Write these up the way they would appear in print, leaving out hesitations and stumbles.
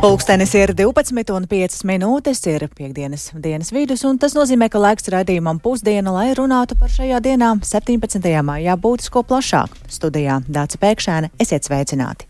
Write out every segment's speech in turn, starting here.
Pulkstenis ir 12:05, ir piekdienas dienas vidus, un tas nozīmē, ka laiks raidījumam pusdiena, lai runātu par šajā dienā 17. maijā būtisko plašāk. Studijā Dāca Pēkšēne, esiet sveicināti!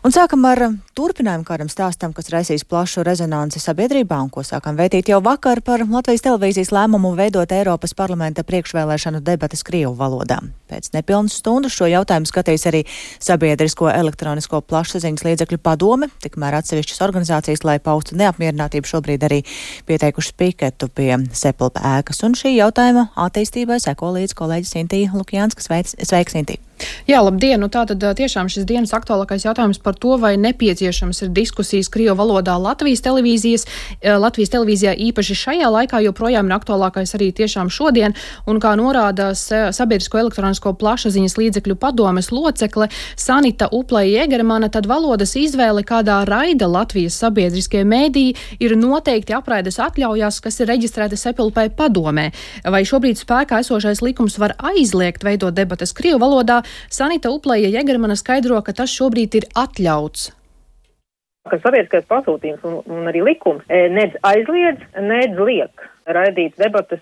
Un sākam ar turpinājumu kādam stāstam, kas raisīs plašu rezonanci sabiedrībā un ko sākam vētīt jau vakar par Latvijas televīzijas lēmumu veidot Eiropas parlamenta priekšvēlēšanu debates krievu valodā. Pēc nepilnas stundas šo jautājumu skatīs arī Sabiedrisko elektronisko plašsaziņas līdzekļu padome, tikmēr atsevišķas organizācijas, lai paustu neapmierinātību, šobrīd arī pieteikušas piketu pie Sepulpa ēkas. Un šī jautājuma attīstībai seko līdz kolēģis Intija Lukjānska. Sveiks, Intija! Jā, labdien! Nu tātad tiešām šis dienas aktuālākais jautājums par to, vai nepieciešams ir diskusijas krievu valodā Latvijas televīzijā īpaši šajā laikā, joprojām ir aktuālākais arī tiešām šodien, un kā norāda Sabiedrisko elektronisko plašsaziņas līdzekļu padomes locekle Sanita Uplej-Jegermane, tad valodas izvēle, kādā raida Latvijas sabiedriskie mēdīji, ir noteikti apraides atļaujās, kas ir reģistrēta Sepulpai padomē. Vai šobrīd spēkā esošais likums var aizliegt veidot debates krievu valodā? Sanita Uplej-Jegermane skaidro, ka tas šobrīd ir atļauts. Ka sabiedriskais pasūtījums un arī likums nedz aizliedz, nedz liek raidīt debates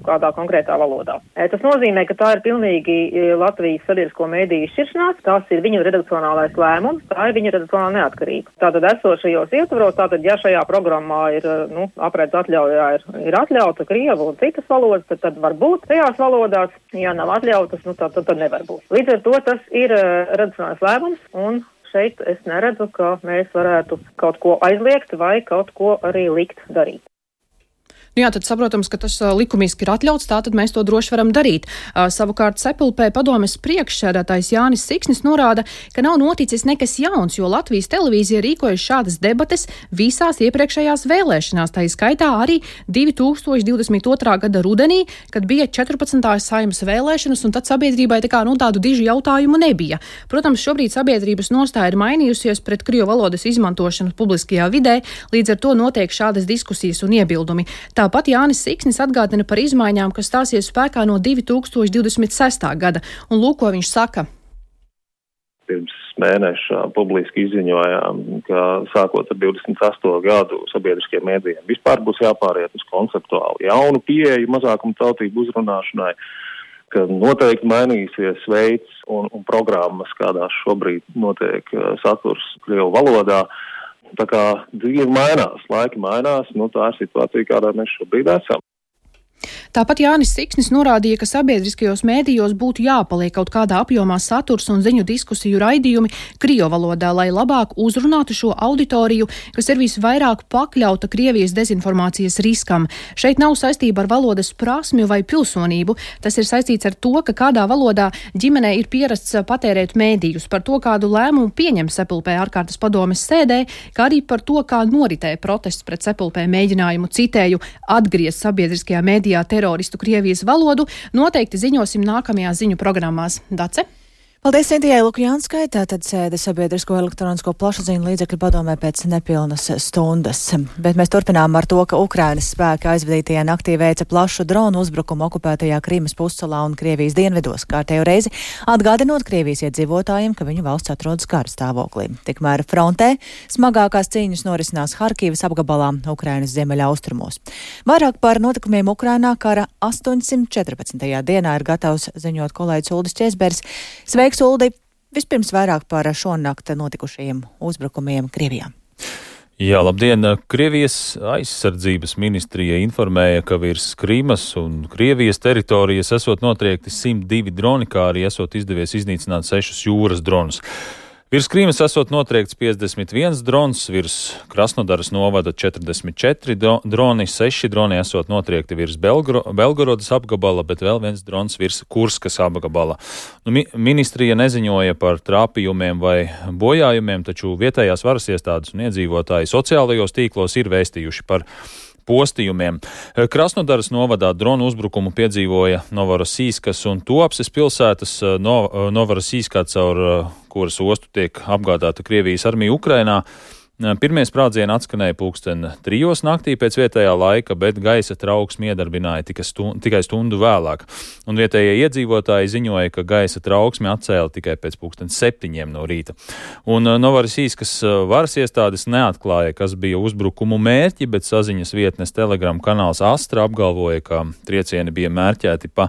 kādā konkrētā valodā. Tas nozīmē, ka tā ir pilnīgi Latvijas sabiedrisko mēdīju šķiršanās, tās ir viņu redakcionālais lēmums, tā ir viņa redakcionāla neatkarība. Tātad esošajos ietvaros, ja šajā programmā ir, apraides atļaujā ir atļauta krievu un citas valodas, tad var būt tajās valodās, ja nav atļautas, tad nevar būt. Līdz ar to tas ir redakcionālais lēmums, un šeit es neredzu, ka mēs varētu kaut ko aizliegt vai kaut ko arī likt darīt. Jā, tad saprotams, ka tas likumiski ir atļauts, tātad mēs to droši varam darīt. Savukārt Sepulpē padomes priekšsēdētājs Jānis Siksnis norāda, ka nav noticis nekas jauns, jo Latvijas televīzija rīkojas šādas debates visās iepriekšējās vēlēšanās, tā skaitā arī 2022. gada rudenī, kad bija 14. Saeimas vēlēšanas, un tad sabiedrībai tādu dižu jautājumu nebija. Protams, šobrīd sabiedrības nostāja ir mainījusies pret krievu valodas izmantošanu publiskajā vidē, līdz ar to notiek šādas diskusijas un iebildumi. Tāpat Jānis Siksnis atgādina par izmaiņām, kas stāsies spēkā no 2026. gada. Un lūk, ko viņš saka. Pirms mēneša publiski izziņojām, ka sākot ar 28. gadu sabiedriskiem mēdījiem vispār būs jāpāriet uz konceptuāli jaunu pieeju mazākumu tautību uzrunāšanai, ka noteikti mainīsies veids un programmas, kādās šobrīd notiek saturs krievu valodā. Tā kā dzīve mainās, laiki mainās, tā ir situācija, kādā mēs šobrīd esam. Tāpat Jānis Siksnis norādīja, ka sabiedriskajos mēdījos būtu jāpaliek kaut kādā apjomā saturs un ziņu diskusiju raidījumi krievu valodā, lai labāk uzrunātu šo auditoriju, kas ir visvairāk pakļauta Krievijas dezinformācijas riskam. Šeit nav saistība ar valodas prasmju vai pilsonību. Tas ir saistīts ar to, ka kādā valodā ģimenē ir pierasts patērēt mēdījus, par to, kādu lēmumu pieņem Sepulpē ārkārtas padomes sēdē, kā arī par to, kā noritē protests pret Sepulpē mēģinājumu, citēju, atgriezt sabiedriskajā mēdījā teroristu Krievijas valodu, noteikti ziņosim nākamajās ziņu programmās. Dace? Paldies Intijai Lukjānskai, tātad sēde Sabiedrisko elektronisko plašsaziņu līdzekļu padomē pēc nepilnas stundas. Bet mēs turpinām ar to, ka Ukrainas spēki aizvadītajā naktī veica plašu dronu uzbrukumu okupētajā Krimas pussalā un Krievijas dienvidos, kārtējo reizi atgādinot Krievijas iedzīvotājiem, ka viņu valsts atrodas kara stāvoklī. Tikmēr frontē smagākās cīņas norisinās Harkivas apgabalā Ukrainas ziemeļaustrumos. Vairāk par notikumiem Ukrainā kara 814. dienā ir gatavs ziņot kolēģis Uldis Česbergs. Sveiks, Uldi! Vispirms vairāk par šonakt notikušajiem uzbrukumiem Krievijā. Jā, labdien! Krievijas aizsardzības ministrija informēja, ka virs Krimas un Krievijas teritorijas esot notriekti 102 droni, kā arī esot izdevies iznīcināt 6 jūras dronus. Virs Krīmas esot notriekts 51 drons, virs Krasnodaras novada 44 droni, 6 droni esot notriekti virs Belgorodas apgabala, bet vēl viens drons virs Kurskas apgabala. Ministrija neziņoja par trāpījumiem vai bojājumiem, taču vietējās varas iestādes un iedzīvotāji sociālajos tīklos ir vēstījuši par postījumiem. Krasnodaras novadā dronu uzbrukumu piedzīvoja Novorosīskas un Tuapses pilsētas. Novorosīskā, caur kuras ostu tiek apgādāta Krievijas armija Ukrainā, Pirmie sprādzieni atskanēja 3:00 naktī pēc vietējā laika, bet gaisa trauksmi iedarbināja tikai stundu vēlāk. Un vietējie iedzīvotāji ziņoja, ka gaisa trauksmi atcēla tikai pēc 7:00 no rīta. Un Novarisīskas varas iestādes neatklāja, kas bija uzbrukumu mērķi, bet saziņas vietnes Telegram kanāls Astra apgalvoja, ka triecieni bija mērķēti pa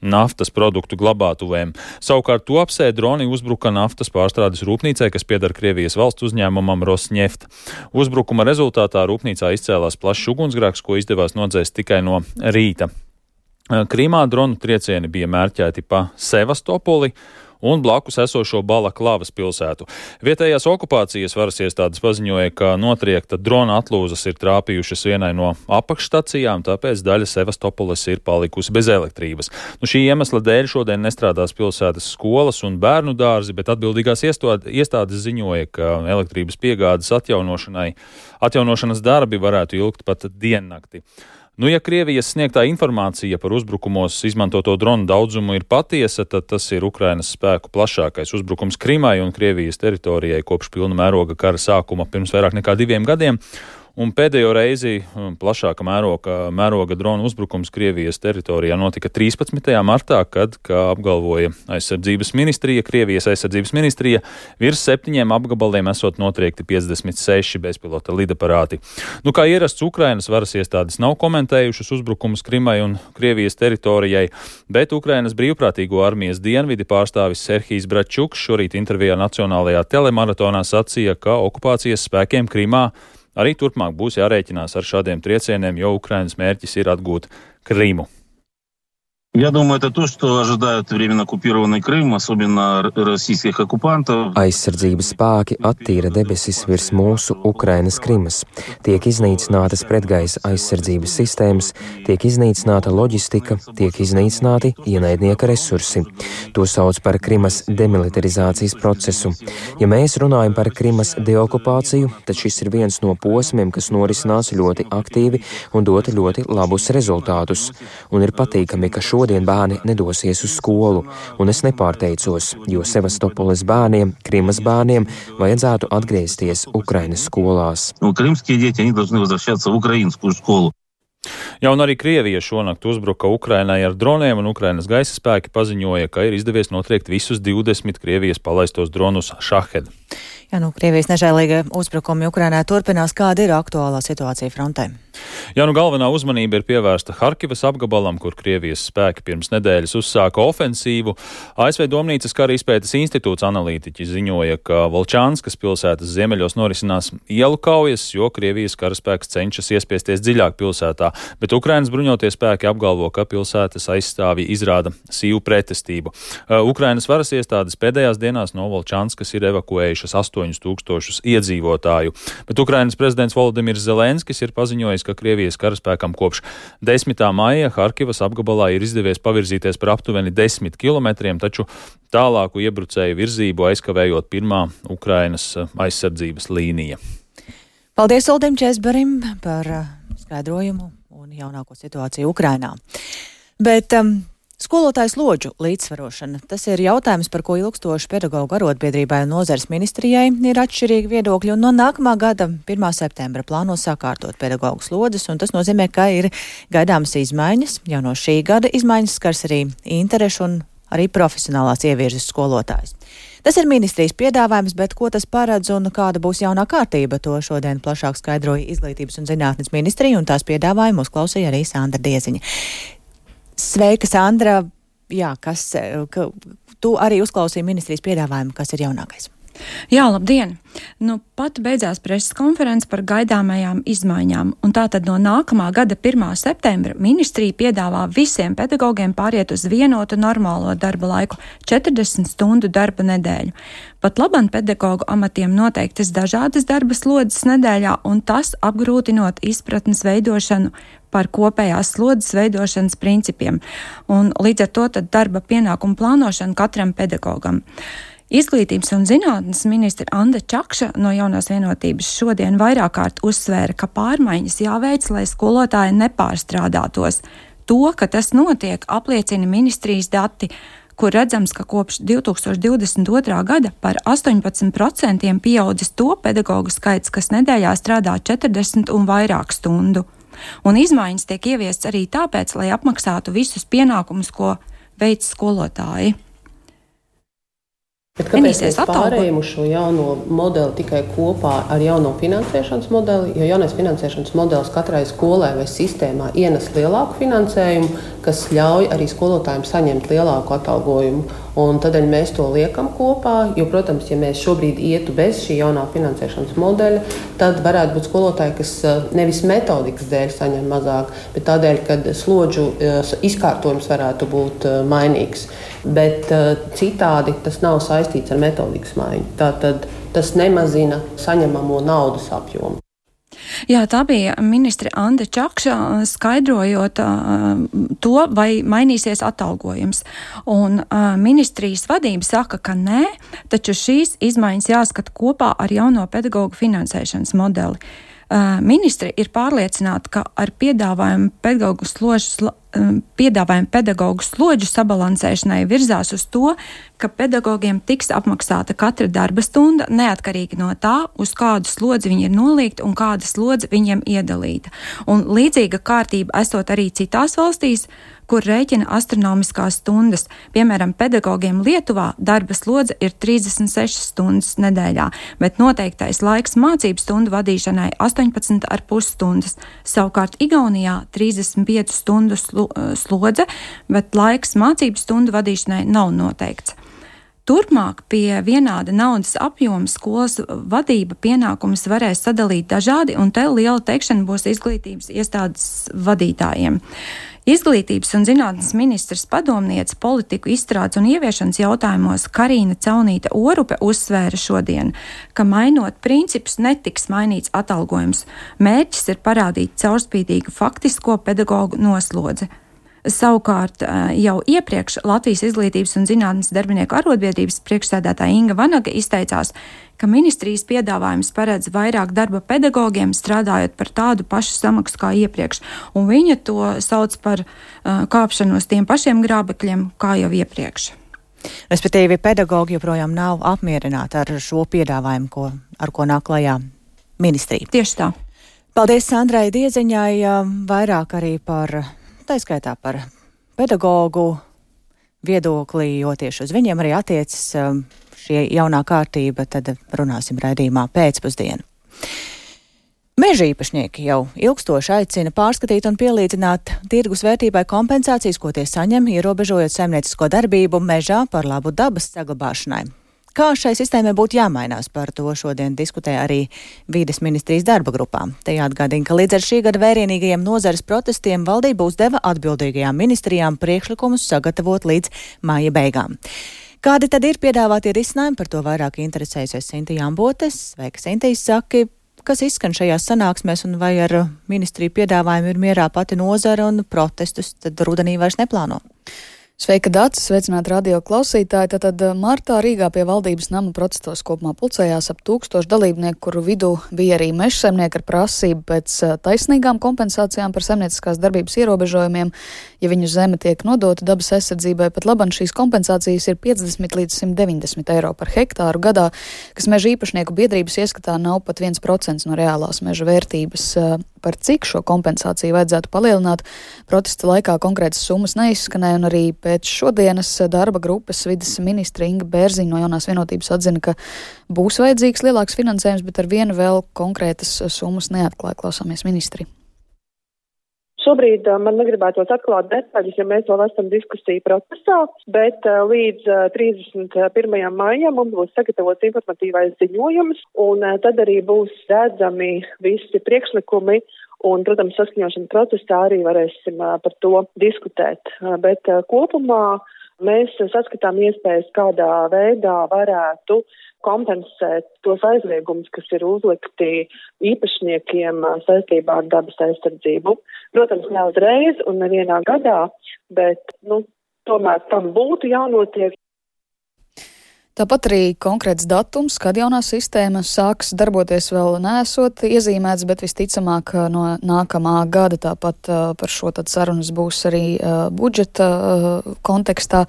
naftas produktu glabātuvēm. Savukārt to apsē droni uzbruka naftas pārstrādes rūpnīcai, kas pieder Krievijas valsts uzņēmumam Rosneft. Uzbrukuma rezultātā rūpnīcā izcēlās plašs ugunsgrēks, ko izdevās nodzēst tikai no rīta. Krimā dronu triecieni bija mērķēti pa Sevastopoli un blakus esošo Balaklavas pilsētu. Vietējās okupācijas varas iestādes paziņoja, ka notriekta drona atlūzas ir trāpījušas vienai no apakšstacijām, tāpēc daļa Sevastopoles ir palikusi bez elektrības. Šī iemesla dēļ šodien nestrādās pilsētas skolas un bērnu dārzi, bet atbildīgās iestādes ziņoja, ka elektrības piegādes atjaunošanas darbi varētu ilgt pat diennakti. Ja Krievijas sniegtā informācija par uzbrukumos izmantoto dronu daudzumu ir patiesa, tad tas ir Ukrainas spēku plašākais uzbrukums Krimai un Krievijas teritorijai kopš pilna mēroga kara sākuma pirms vairāk nekā 2 gadiem. Un pēdējo reizi plašāka mēroga drona uzbrukums Krievijas teritorijā notika 13. martā, kad, kā apgalvoja Krievijas aizsardzības ministrija, virs 7 apgabaliem esot notriekti 56 bezpilota lidaparāti. Kā ierasts, Ukrainas varas iestādes nav komentējušas uzbrukumus Krimai un Krievijas teritorijai, bet Ukrainas brīvprātīgo armijas dienvidi pārstāvis Serhijs Bračuks šorīt intervijā nacionālajā telemaratonā sacīja, ka okupācijas spēkiem Krimā arī turpmāk būs jārēķinās ar šādiem triecieniem, jo Ukrainas mērķis ir atgūt Krimu. Я думаю, это то, что ожидают временно оккупированный Крым, особенно российских оккупантов. Aizsardzības spēki attīra debesis virs mūsu Ukrainas Krimas. Tiek iznīcinātas pretgaisa aizsardzības sistēmas, tiek iznīcināta loģistika, tiek iznīcināti ienaidnieka resursi. To sauc par Krimas demilitarizācijas procesu. Ja mēs runājam par Krimas deokupāciju, tad šis ir viens no posmiem, kas norisinās ļoti aktīvi un dot ļoti labus rezultātus. Un ir patīkami, ka šodien bērni nedosies uz skolu, un es nepārteicos, jo Sevastopoles bērniem, Krimas bērniem vajadzētu atgriezties Ukrainas skolās. Krimskie дети, они должны возвращаться в украинскую школу. Un arī Krievija šonakt uzbruka Ukrainai ar droniem, un Ukrainas gaisa spēki paziņoja, ka ir izdevies notriekt visus 20 Krievijas palaistos dronus Šahed. Krievijas nežēlīga uzbrukumi Ukrainā turpinās. Kāda ir aktuālā situācija frontē? Galvenā uzmanība ir pievērsta Harkivas apgabalam, kur Krievijas spēki pirms nedēļas uzsāka ofensīvu. ASV Domnīcas kara izpētes institūts analītiķi ziņoja, ka Volčānskas pilsētas ziemeļos norisinās ielu kaujas, jo Krievijas karaspēks cenšas iespiesties dziļāk pilsētā, bet Ukrainas bruņotie spēki apgalvo, ka pilsētas aizstāvji izrāda sīvu pretestību. Ukrainas varas iestādes pēdējās dienās no Volčānskas ir evakuējušas 8,000 iedzīvotāju, bet Ukrainas prezidents Volodimirs Zelenskis ir paziņojis, ka Krievijas karaspēkam kopš 10. maija Harkivas apgabalā ir izdevies pavirzīties par aptuveni 10 kilometriem, taču tālāku iebrucēju virzību aizkavējot pirmā Ukrainas aizsardzības līnija. Paldies Uldim Česberim par skaidrojumu un jaunāko situāciju Ukrainā. Bet skolotāju slodžu līdzsvarošana. Tas ir jautājums, par ko ilgstoši pedagoģu arotbiedrībai un nozares ministrijai ir atšķirīgi viedokļi, un no nākamā gada 1. septembra plāno sakārtot pedagoģu slodzes, un tas nozīmē, ka ir gaidāmas izmaiņas. Jau no šī gada izmaiņas skars arī interešu un arī profesionālās ievirzes skolotājs. Tas ir ministrijas piedāvājums, bet ko tas paredz un kāda būs jaunā kārtība, to šodien plašāk skaidroja Izglītības un zinātnes ministrija, un tās piedāvājumu uzklausīja arī Sandra Dieziņa. Sveika, Sandra! Tu arī uzklausīji ministrijas piedāvājumu, kas ir jaunākais? Jā, labdien! Pat beidzās preses konferences par gaidāmajām izmaiņām, un tātad no nākamā gada 1. septembra ministrija piedāvā visiem pedagogiem pāriet uz vienotu normālo darba laiku - 40 stundu darba nedēļu. Pat labam pedagogu amatiem noteiktas dažādas darba slodzes nedēļā, un tas apgrūtinot izpratnes veidošanu par kopējās slodzes veidošanas principiem, un līdz ar to tad darba pienākumu plānošanu katram pedagogam. Izglītības un zinātnes ministra Anda Čakša no Jaunās vienotības šodien vairāk kārt uzsvēra, ka pārmaiņas jāveic, lai skolotāji nepārstrādātos. To, ka tas notiek, apliecina ministrijas dati, kur redzams, ka kopš 2022. gada par 18% pieaudzis to pedagogu skaits, kas nedēļā strādā 40 un vairāk stundu. Un izmaiņas tiek ieviestas arī tāpēc, lai apmaksātu visus pienākumus, ko veic skolotāji. Bet kāpēc mēs pārējām uz šo jauno modeli tikai kopā ar jauno finansēšanas modeli? Jo jaunais finansēšanas modelis katrai skolai vai sistēmā ienes lielāku finansējumu, kas ļauj arī skolotājiem saņemt lielāku atalgojumu. Un tādēļ mēs to liekam kopā, jo, protams, ja mēs šobrīd ietu bez šī jaunā finansēšanas modeļa, tad varētu būt skolotāji, kas nevis metodikas dēļ saņem mazāk, bet tādēļ, ka slodžu izkārtojums varētu būt mainīgs. Bet citādi tas nav saistīts ar metodikas maiņu. Tātad tas nemazina saņemamo naudas apjomu. Jā, tā bija ministre Ande Čakša skaidrojot to, vai mainīsies atalgojums. Un ministrijas vadība saka, ka nē, taču šīs izmaiņas jāskata kopā ar jauno pedagogu finansēšanas modeli. Ministri ir pārliecināti, ka ar piedāvājumu pedagogu slodžu sabalansēšanai virzās uz to, ka pedagogiem tiks apmaksāta katra darba stunda, neatkarīgi no tā, uz kādu slodzi viņi ir nolīgti un kāda slodze viņiem iedalīta. Un līdzīga kārtība esot arī citās valstīs, kur rēķina astronomiskās stundas. Piemēram, pedagogiem Lietuvā darba slodze ir 36 stundas nedēļā, bet noteiktais laiks mācību stundu vadīšanai 18,5 stundas. Savukārt Igaunijā 35 stundu slodze, bet laiks mācību stundu vadīšanai nav noteikts. Turpmāk pie vienāda naudas apjoma skolas vadība pienākumus varēs sadalīt dažādi, un te liela teikšana būs izglītības iestādes vadītājiem. Izglītības un zinātnes ministrs padomniece politiku izstrādes un ieviešanas jautājumos Karīna Caunīte Orupe uzsvēra šodien, ka mainot principus netiks mainīts atalgojums. Mērķis ir parādīt caurspīdīgu faktisko pedagogu noslodzi. Savukārt jau iepriekš Latvijas izglītības un zinātnes darbinieku arotbiedrības priekšsēdētāja Inga Vanaga izteicās, ka ministrijas piedāvājums paredz vairāk darba pedagogiem, strādājot par tādu pašu samaksu kā iepriekš, un viņa to sauc par kāpšanos tiem pašiem grābekļiem kā jau iepriekš. Respektīvi, pedagogi joprojām nav apmierināti ar šo piedāvājumu, ar ko nāk klajā ministrija. Tieši tā. Paldies Sandrai Dieziņai, vairāk arī par tā skaitā par pedagogu viedokli, jo tieši uz viņiem arī attiecas šie jaunā kārtība, tad runāsim raidījumā pēcpusdienu. Meža īpašnieki jau ilgstoši aicina pārskatīt un pielīdzināt tirgus vērtībai kompensācijas, ko tie saņem, ierobežojot saimniecisko darbību mežā par labu dabas saglabāšanai. Kā šai sistēmai būtu jāmainās, par to šodien diskutē arī Vides ministrijas darba grupā. Te jāatgādina, ka līdz ar šī gada vērienīgajiem nozares protestiem valdība uzdeva atbildīgajām ministrijām priekšlikumus sagatavot līdz māja beigām. Kādi tad ir piedāvātie risinājumi, par to vairāk interesējusies Sintija Ambotes. Sveika, Sintija, saki, kas izskan šajās sanāksmēs un vai ar ministriju piedāvājumu ir mierā pati nozara un protestus tad rudenī vairs neplāno? Sveika, Dācis, sveicināti radio klausītāji. Tātad martā Rīgā pie valdības nama protestos kopumā pulcējās ap 1000 dalībnieku, kuru vidū bija arī mežsaimnieki ar prasību pēc taisnīgām kompensācijām par saimnieciskās darbības ierobežojumiem, ja viņu zeme tiek nodota dabas aizsardzībai. Pat labam šīs kompensācijas ir 50 līdz 190 eiro par hektāru gadā, kas meža īpašnieku biedrības ieskatā nav pat 1% no reālās meža vērtības. Par cik šo kompensāciju vajadzētu palielināt, protesta laikā konkrētas summas neizskanēja, un arī pēc šodienas darba grupas vides ministra Inga Bērziņa no Jaunās vienotības atzina, ka būs vajadzīgs lielāks finansējums, bet ar vienu vēl konkrētas summas neatklāja. Klausāmies ministri. Šobrīd man negribētos atklāt detaļas, ja mēs vēl esam diskusiju procesā, bet līdz 31. maijam mums būs sagatavots informatīvais ziņojums, un tad arī būs redzami visi priekšlikumi, un, protams, saskaņošana procesā arī varēsim par to diskutēt. Bet kopumā mēs saskatām iespējas, kādā veidā varētu kompensēt tos aizliegumus, kas ir uzlikti īpašniekiem saistībā ar dabas aizsardzību. Protams, ne uzreiz un nevienā gadā, bet, tomēr tam būtu jānotiek. Tāpat arī konkrēts datums, kad jaunā sistēma sāks darboties, vēl neesot iezīmēts, bet visticamāk no nākamā gada. Tāpat par šo tad sarunas būs arī budžeta kontekstā.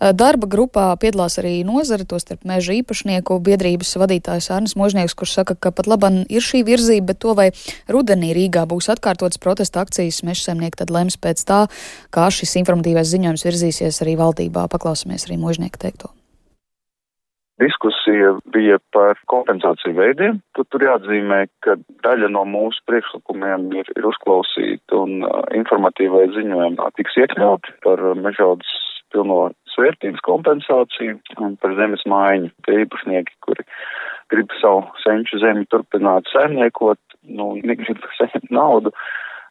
Darba grupā piedalās arī nozare, tostarp meža īpašnieku biedrības vadītājs Arnis Možnieks, kurš saka, ka pat laban ir šī virzība, bet to vai rudenī Rīgā būs atkārtotas protesta akcijas, mežsaimnieki tad lems pēc tā, kā šis informatīvais ziņojums virzīsies arī valdībā. Paklausāmies arī Možnieka teikto. Diskusija bija par kompensāciju veidiem. Tur jāatzīmē, ka daļa no mūsu priekšlikumiem ir uzklausīta un informatīvai ziņojumā tiks iekļauti par mežaudzes pilno svērtības kompensāciju un par zemes maiņu. Tie īpašnieki, kuri grib savu senču zemi turpināt saimniekot, negrib saņemt naudu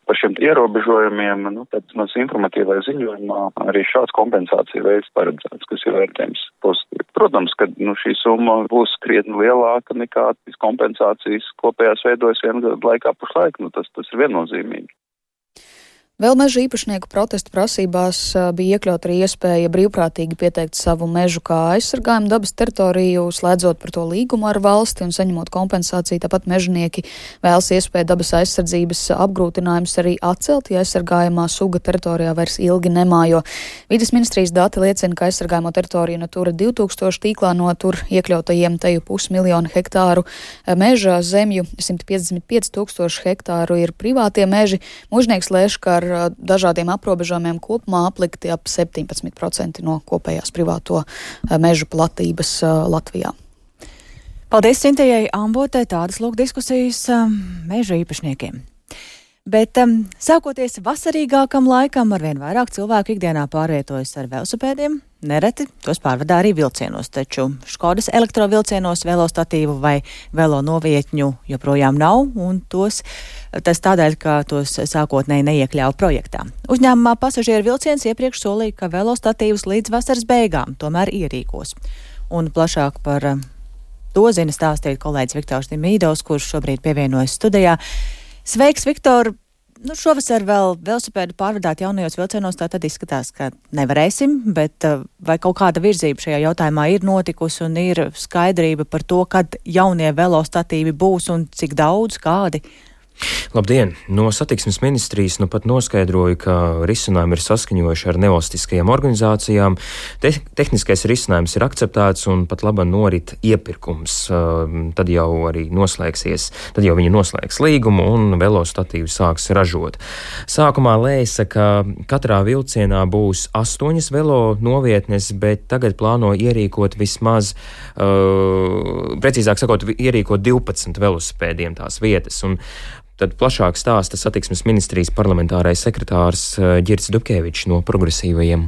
par šiem ierobežojumiem, tad mums informatīvajā ziņojumā arī šāds kompensācija veids paredzēts, kas ir vērtējums pozitīvi. Protams, ka šī summa būs krietni lielāka nekā kompensācijas kopējās veidojas vienu gadu laikā pašlaik, tas ir viennozīmīgi. Vēl meža īpašnieku protestu prasībās bija iekļaut arī iespēja brīvprātīgi pieteikt savu mežu kā aizsargājumu dabas teritoriju, slēdzot par to līgumu ar valsti un saņemot kompensāciju. Tāpat mežnieki vēlas iespēju dabas aizsardzības apgrūtinājumus arī atcelt, ja aizsargājumā suga teritorijā vairs ilgi nemājo. Vides ministrijas dati liecina, ka aizsargājumo teritoriju Natura 2000 tīklā no tur iekļautajiem teju 500 000 hektāru meža zemju 155 000 hektāru ir privātie meži. Možnieks lēš, ka ar dažādiem aprobežojumiem kopumā aplikti ap 17% no kopējās privāto mežu platības Latvijā. Paldies Sintejai Ambotei, tādas lūk diskusijas meža īpašniekiem. Bet sākoties vasarīgākam laikam, arvien vairāk cilvēku ikdienā pārvietojas ar velosipēdiem, nereti tos pārvadā arī vilcienos, taču Škodas elektrovilcienos velostatīvu vai velo novietņu joprojām nav, un tas tādēļ, ka tos sākotnēji neiekļāva projektā. Uzņēmumā pasažieru vilciens iepriekš solīja, ka velostatīvus līdz vasaras beigām tomēr ierīkos. Un plašāk par to zina stāstīt kolēģis Viktors Dimīdovs, kurš šobrīd pievienojas studijā. Sveiks, Viktor! Šovasar vēl velosipēdu pārvadāt jaunajos vilcienos, tā tad izskatās, ka nevarēsim, bet vai kaut kāda virzība šajā jautājumā ir notikusi un ir skaidrība par to, kad jaunie velostatīvi būs un cik daudz, kādi? Labdien! No satiksmes ministrijas pat noskaidroja, ka risinājumi ir saskaņojuši ar nevalstiskajām organizācijām. Tehniskais risinājums ir akceptēts un pat laba norit iepirkums. Tad jau viņi noslēgs līgumu un velostatīvu sāks ražot. Sākumā lēsa, ka katrā vilcienā būs 8 velo novietnes, bet tagad plāno ierīkot vismaz, precīzāk sakot, ierīkot 12 velosipēdiem tās vietas. Un tad plašāk stāsta satiksmes ministrijas parlamentārais sekretārs Ģirds Dubkevičs no Progresīvajiem.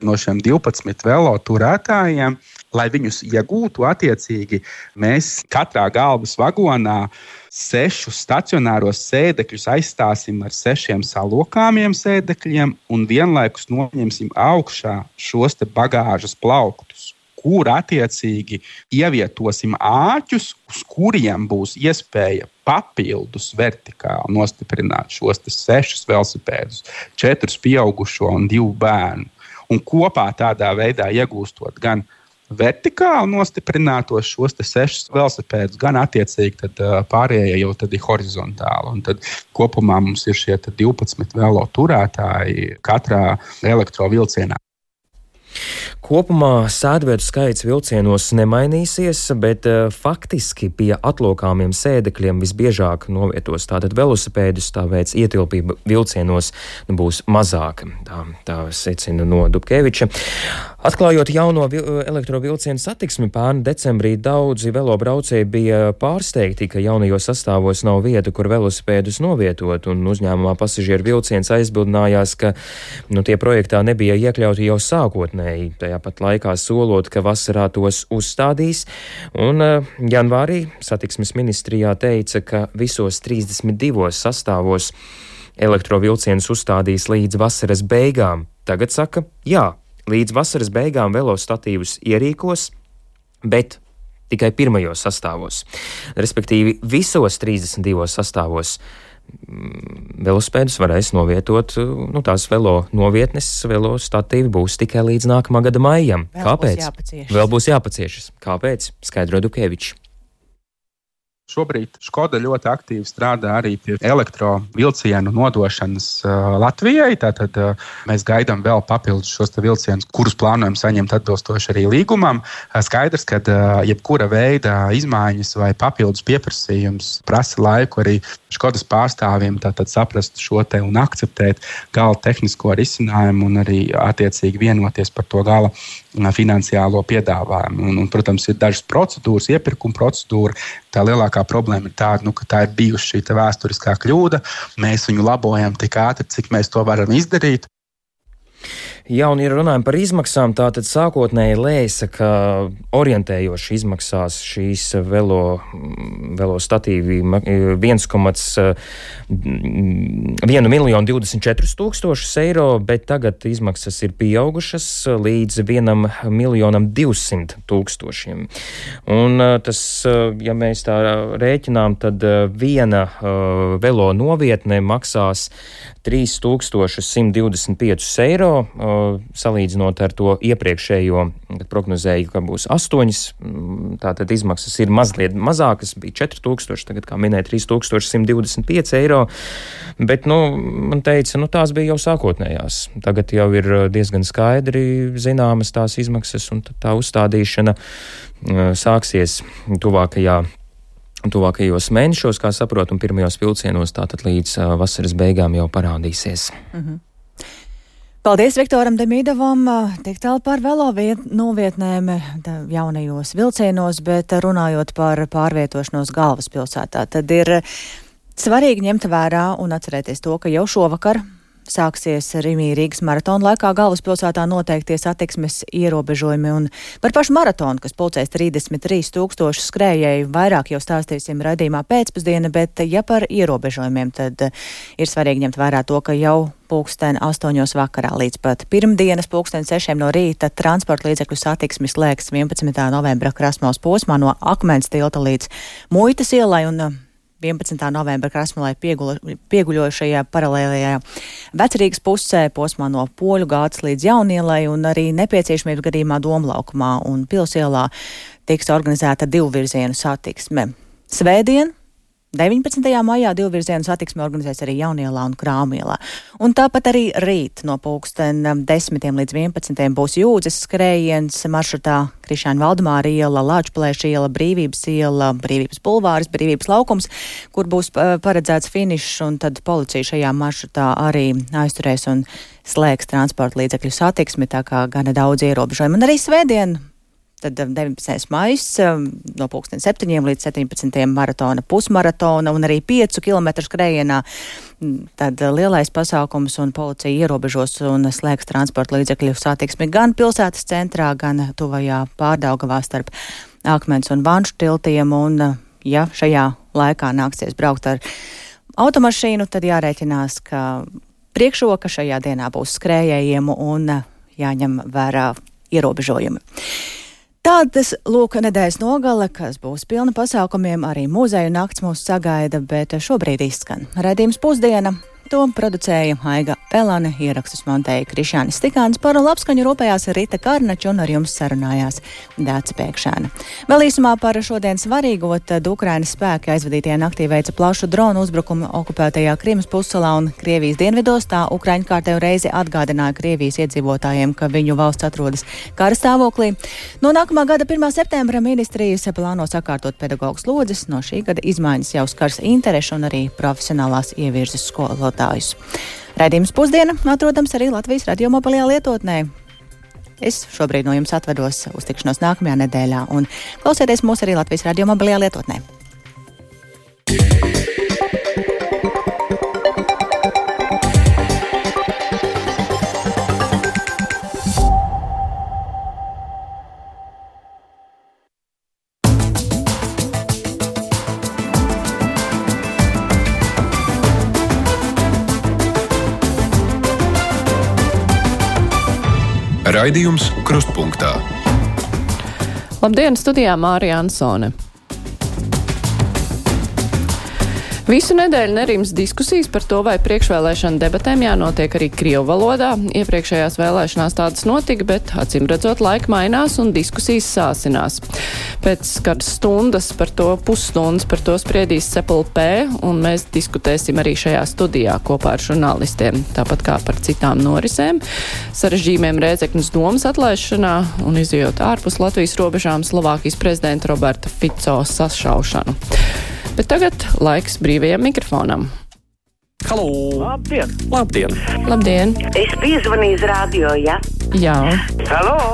No šiem 12 velo turētājiem, lai viņus iegūtu attiecīgi, mēs katrā galvas vagonā 6 stacionāros sēdekļus aizstāsim ar 6 salokāmiem sēdekļiem un vienlaikus noņemsim augšā šos te bagāžas plauktus, kur attiecīgi ievietosim āķus, uz kuriem būs iespēja papildus vertikāli nostiprināt šos 6 velosipēdus, 4 pieaugušo un 2 bērnu. Un kopā tādā veidā iegūstot gan vertikāli nostiprinātos šos 6 velosipēdus, gan attiecīgi tad pārējie jau tad ir horizontāli. Un tad kopumā mums ir šie 12 velo turētāji katrā elektrovilcienā. Kopumā sēdvietu skaits vilcienos nemainīsies, bet faktiski pie atlokāmiem sēdekļiem visbiežāk novietos tātad velosipēdus, tāpēc ietilpība vilcienos būs mazāka. Tā secina no Dubkeviča. Atklājot jauno elektrovilcienu satiksmi pērn decembrī, daudzi velobraucēji bija pārsteigti, ka jaunajos sastāvos nav vieta, kur velosipēdus novietot, un uzņēmumā pasažieru vilciens aizbildinājās, ka tie projektā nebija iekļauti jau sākotnēji, tajā pat laikā solot, ka vasarā tos uzstādīs, un janvārī satiksmes ministrijā teica, ka visos 32 sastāvos elektrovilcienus uzstādīs līdz vasaras beigām. Tagad saka, jā, līdz vasaras beigām velostatīvus ierīkos, bet tikai pirmajos sastāvos. Respektīvi, visos 32 sastāvos velospēdus varēs novietot, tās velo novietnes, velo statīvi būs tikai līdz nākamā gada maijam. Kāpēc? Vēl būs jāpaciešas. Kāpēc? Skaidro Dukevičs. Šobrīd Škoda ļoti aktīvi strādā arī pie elektrovilcienu nodošanas Latvijai. Tātad mēs gaidām vēl papildus šos vilcienus, kurus plānojam saņemt atbilstoši arī līgumam. Skaidrs, ka jebkura veida izmaiņas vai papildus pieprasījums prasa laiku arī Škodas pārstāvjiem tātad saprast šo te un akceptēt gala tehnisko risinājumu un arī attiecīgi vienoties par to gala finansiālo piedāvājumu. Un, protams, ir dažas procedūras, iepirkuma procedūra. Tā lielākā problēma ir tāda, ka tā ir bijusi šī vēsturiskā kļūda. Mēs viņu labojam tik ātri, cik mēs to varam izdarīt. Jā, un, ja runājam par izmaksām, tātad sākotnēji lēsa, ka orientējoši izmaksās šīs velo statīvi 1,024,000 eiro, bet tagad izmaksas ir pieaugušas līdz 1,200,000. Un tas, ja mēs tā rēķinām, tad viena velo novietne maksās 3,125 eiro. Salīdzinot ar to iepriekšējo, kad prognozēju, ka būs 8, tātad izmaksas ir mazliet mazākas, bija 4,000, tagad, kā minēja, 3,125 eiro, bet, man teica, tās bija jau sākotnējās. Tagad jau ir diezgan skaidri zināmas tās izmaksas, un tā uzstādīšana sāksies tuvākajos mēnešos, kā saprotu, un pirmajos vilcienos tātad līdz vasaras beigām jau parādīsies. Paldies Viktoram Demīdovam, tik tālu par velo novietnēm jaunajos vilcienos, bet runājot par pārvietošanos galvaspilsētā, tad ir svarīgi ņemt vērā un atcerēties to, ka jau šovakar sāksies Rīgas maratona laikā galvaspilsētā noteiktie satiksmes ierobežojumi, un par pašu maratonu, kas pulcēs 33,000 skrējēju, vairāk jau stāstīsim raidījumā pēcpusdiena, bet ja par ierobežojumiem, tad ir svarīgi ņemt vērā to, ka jau 8:00 vakarā līdz pat pirmdienas 6:00 no rīta transporta līdzekļu satiksmi slēgs 11. novembra Krasmalas posmā no Akmens tilta līdz Muitas ielai un 11. novembra Krasmalai pieguļošajā paralēlajā Vecrīgas pusē posmā no Poļu gātas līdz Jaunielai un arī nepieciešamības gadījumā Domlaukumā un Pilsielā tiks organizēta divvirzienu satiksme. Svētdien 19. maijā divvirzienu satiksmi organizēs arī Jaunielā un Krāmielā. Un tāpat arī rīt no 10 līdz 11 būs Jūdzes skrējiens maršrutā Krišāņa Valdemāra iela, Lāčplēša iela, Brīvības iela, Brīvības bulvāris, Brīvības laukums, kur būs paredzēts finišs, un tad policija šajā maršrutā arī aizturēs un slēgs transporta līdzekļu satiksmi, tā kā gana daudz ierobežojumu. Un arī svētdien, tad 19. maijs no 7 līdz 17 maratona, pusmaratona un arī 5 kilometru skrējienā. Tad lielais pasākums un policija ierobežos un slēgs transporta līdzekļu satiksmi gan pilsētas centrā, gan tuvajā Pārdaugavā starp Akmens un Vanšu tiltiem. Un, ja šajā laikā nāksies braukt ar automašīnu, tad jārēķinās, ka priekšroka šajā dienā būs skrējējiem un jāņem vērā ierobežojumi. Tādas lūk nedēļas nogale, kas būs pilna pasākumiem, arī muzeju nakts mūs sagaida, bet šobrīd izskan raidījums Pusdiena. To producēja Aiga Pelane, ierakstus montēja Krišānis Stikāns, par labskaņu rūpējās Rita Karnača un ar jums sarunājās Dāca Pēkšēna. Vēl īsumā par šodien svarīgo, tad Ukrainas spēki aizvadītajā naktī veica plašu dronu uzbrukumu okupētajā Krimas pussalā un Krievijas dienvidos. Tā Ukraiņu kārtējo reizi atgādināja Krievijas iedzīvotājiem, ka viņu valsts atrodas kara stāvoklī. No nākamā gada 1. septembra ministrijas plāno sakārtot pedagoģu slodzes. No šī gada izmaiņas jau skars interešu un arī profesionālās ievirzes skolotājus. Raidījums Pusdiena atrodams arī Latvijas radio mobilajā lietotnē. Es šobrīd no jums atvedos uz tikšanos nākamajā nedēļā un klausieties mūs arī Latvijas radio mobilajā lietotnē. Raidījums Krustpunktā. Labdien, studijā Mārija Ansone. Visu nedēļu nerims diskusijas par to, vai priekšvēlēšana debatēm jānotiek arī krievu valodā. Iepriekšējās vēlēšanās tādas notika, bet acīm redzot laika mainās un diskusijas sāsinās. Pēc kādas stundas par to, pusstundas par to spriedīs CPLP, un mēs diskutēsim arī šajā studijā kopā ar žurnālistiem, tāpat kā par citām norisēm, sarežģījumiem Rēzeknes domas atlaišanā un izjot ārpus Latvijas robežām Slovākijas prezidenta Roberta Fico sašaušanu. Bet tagad laiks brīvajam mikrofonam. Halo! Labdien! Labdien! Labdien! Es piezvanīju uz radio, ja? Jā. Halo!